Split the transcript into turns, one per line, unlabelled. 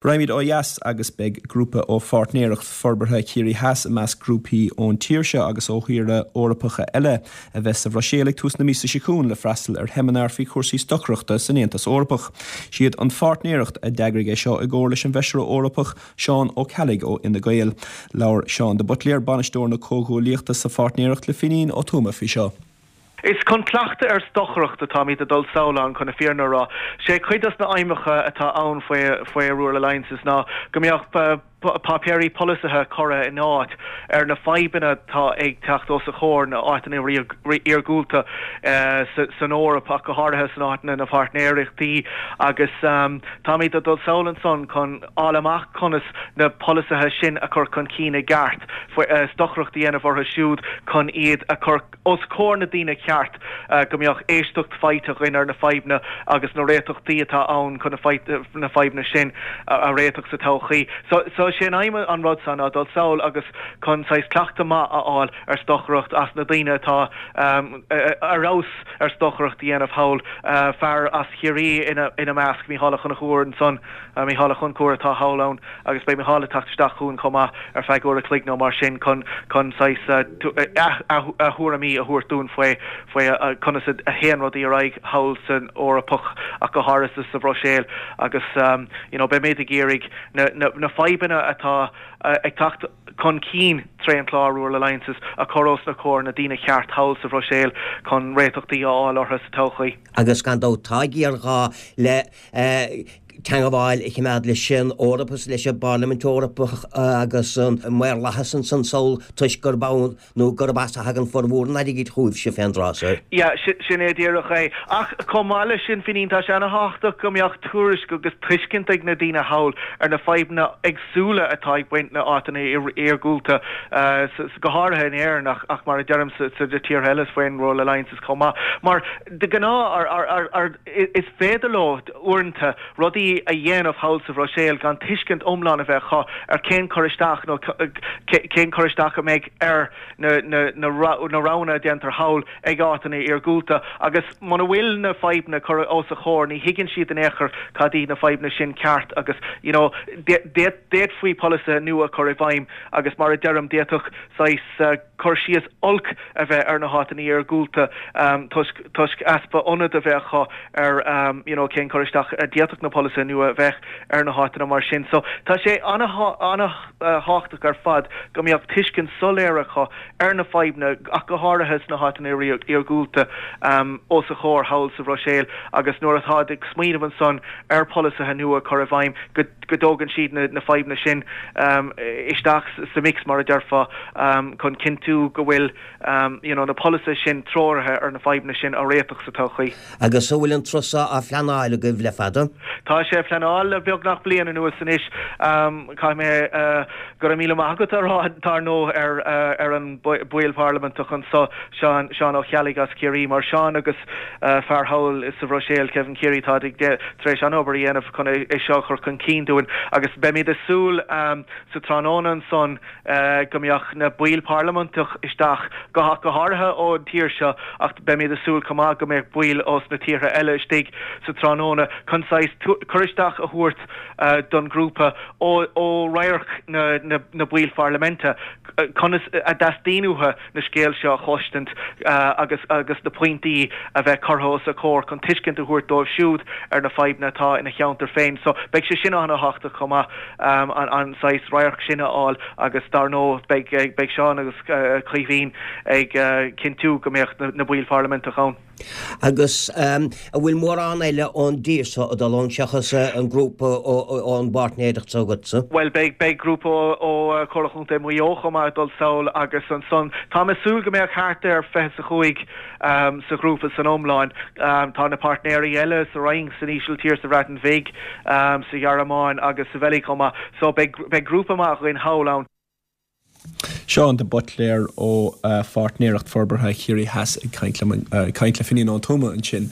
Raghaimid ó dheas agus beidh grúpa ó Pháirtnéireacht Forbartha Chiarraí Theas i measc grúpaí ón tír seo agus ó thíortha Eorpacha eile a bheas sa Bhruiséil ag tús na míosa seo chugainn le freastal ar sheimineár faoi chúrsaí stocaireachta san Aontas Eorpach. Siad an Pháirtnéireacht a d'eagraigh é seo i gcomhar leis an bhFeisire Eorpach Seán Ó Ceallaigh ó Fhine Gael. Labhair Seán de Buitléar, Bainisteoir na Comhghuaillíochta sa Pháirtnéireacht le Finín Ó Tuama faoi seo.
Is chun cleachtadh ar stocaireacht atáimid ag dul sall ann, chun na fírinne a rá. Sé cuid dos na aidhmeacha atá ann faoi faoi Rural Alliances ná go mbeadh páipéirí polasaithe curtha in áit ar na fadhbanna atá ag teacht os a chomhair na áiteanna iargúlta san Eoraip ach go háirithe san áiteanna na páirtnéireachtaí agus táimid ag dul sall ansan chun fháil amach conas na polasaithe sin a chur chun cinn i gceart, stocaireacht a dhéanamh orthu siúd chun iad a chur os comhair na daoine ceart, go mbeadh éisteacht faighte againn ar na fadhbanna agus na réiteachtaí atá ann chun na fadhbanna sin a réiteach sa todhchaí. So, so sé an aidhm an rud seo ná dul sall agus chun saghas cleachtadh maith a fháil ar stocaireacht as na daoine atá ar fheabhas ar stocaireacht a dhéanamh thall, fear as Chiarraí ina measc, Mícheál Ó Conchúir ansan. Mícheál Ó Conchúir atá thall ann agus beidh Mícheál ag teacht isteach chugainn chomh maith ar feadh uair a chloig nó mar sin chun chun saghas a thuairimí a thabhairt dúinn faoi faoi conas a théann rudaí ar aghaidh thall san Eorpach ach go háirithe sa Bhruiséil agus you know beimid ag iarraidh na na na fadhbanna atá ag teacht chun cinn tré an chlár Rural Alliances a chur os na comhair na daoine ceart thall sa Bhruiséil chun réiteachtaí a fháil orthu sa todhchaí.
Agus gan dabht tá géarghá le teangabháil a chimeád leis an Eoraip is leis an bParlaimint Eorpach agus an maorlathas ansan sall toisc gurb ann nó gurb as a thagann formhór an airgid chugaibhse fén dtráth so.
Yeah, sin é díreach é. Ach chomh maith leis sin, Finín, tá sé ana-thábhachtach go mbeadh tuairisc agus tuiscint ag na daoine thall ar na fadhbanna éagsúla atá ag baint na áiteanna iargúlta, go háirithe in Éirinn ach mar a deirim sa tíortha eile faoin Rural Alliances chomh maith. Mar de ghnáth, Is féidir leo, uaireanta, rudaí a dhéanamh thall sa Bhruiséil gan tuiscint iomlán a bheith acu ar cén cur isteach nó cén cur isteach a mbeidh ar na roghanna a déantar thall ag áiteanna iargúlta. Agus muna bhfuil na fadhbanna curtha os a chomhair, ní thuigeann siad in aon chor cad iad na fadhbanna sin ceart agus, you know, d'fhéadfaí polasaithe nua a chur i bhfeidhm agus mar a deirim, d'fhéadfadh saghas. cur síos olc a bheith ar na háiteanna iargúlta toisc toisc easpa ionad a bheith acu ar you know cén cur isteach a d'fhéadfadh na polasaithe nua a bheith ar na háiteanna mar sin. So tá sé an-thábhachtach ar fad go mbeadh tuiscint soiléir acu ar na fadhbanna ach go háirithe sna háiteanna iargúlta os a chomhair thall sa Bhruiséil agus nuair atáid ag smaoineamh ansan ar pholasaithe nua a chur i bhfeidhm go go dtógann siad na fadhbanna sin isteach sa mix, mar a déarfá, chun cinntiú go bhfuil you know na polasaithe sin treoraithe ar na fadhbanna sin a réiteach sa todhchaí.
Agus an bhfuil an turas seo á phleanáil agaibh le fada?
Tá sé á phleanáil le beagnach bliain anuas anois. Caithfidh mé go raibh míle maith agat a rá, dar ndóigh, ar ar an baill parlaiminteach anso, Seán, Seán Ó Ceallaigh as Ciarraí, mar Seán agus fear thall sa Bhruiséil, Kevin Keary, táid ag tar éis an-obair a dhéanamh chun é seo a chur chun cinn dúinn agus beimid ag súil sa tráthnóna ansan go mbeadh na baill parlaiminteach isteach, go go háirithe ón tír seo ach beimid ag súil chomh maith go mbeadh baill ós na tíortha eile istigh sa tráthnóna chun saghas cur isteach a thabhairt don ghrúpa ó ó radharc na na baill pharlaiminte conas a dteastaíonn uathu na scéal seo a chloistint agus agus na pointí a bheith curtha os a comhair chun tuiscint a thabhairt dóibh siúd ar na fadhbanna atá ina cheantar féin. So beidh sé sin an-thábhachtach chomh maith an saghas radharc sin a fháil agus dar ndóigh beidh beidh Seán agus Caoimhín ag cinntiú go mbeadh na baill pharlaiminteach ann.
Agus an bhfuil mórán eile ón dtír seo ag dul ann seachas an grúpa ón bpáirtnéireacht seo agatsa?
Bhuel, beidh, beidh grúpa ó Chomhairle Chontae Mhaigh Eo chomh maith ag dul sall agus ansan táim ag súil go mbeadh thart ar 25 sa ghrúpa san iomlán. Tá na páirtnéirí eile sa Fhrainc, san Ísiltír, sa Bhreatain Bhig, sa Ghearmáin agus sa Bheilg chomh maith. So beidh, beidh grúpa maith againn thall ann.
Seán de Buitléar ó Pháirtnéireacht Forbartha Chiarraí Theas ag caint le Finín Ó Tuama ansin.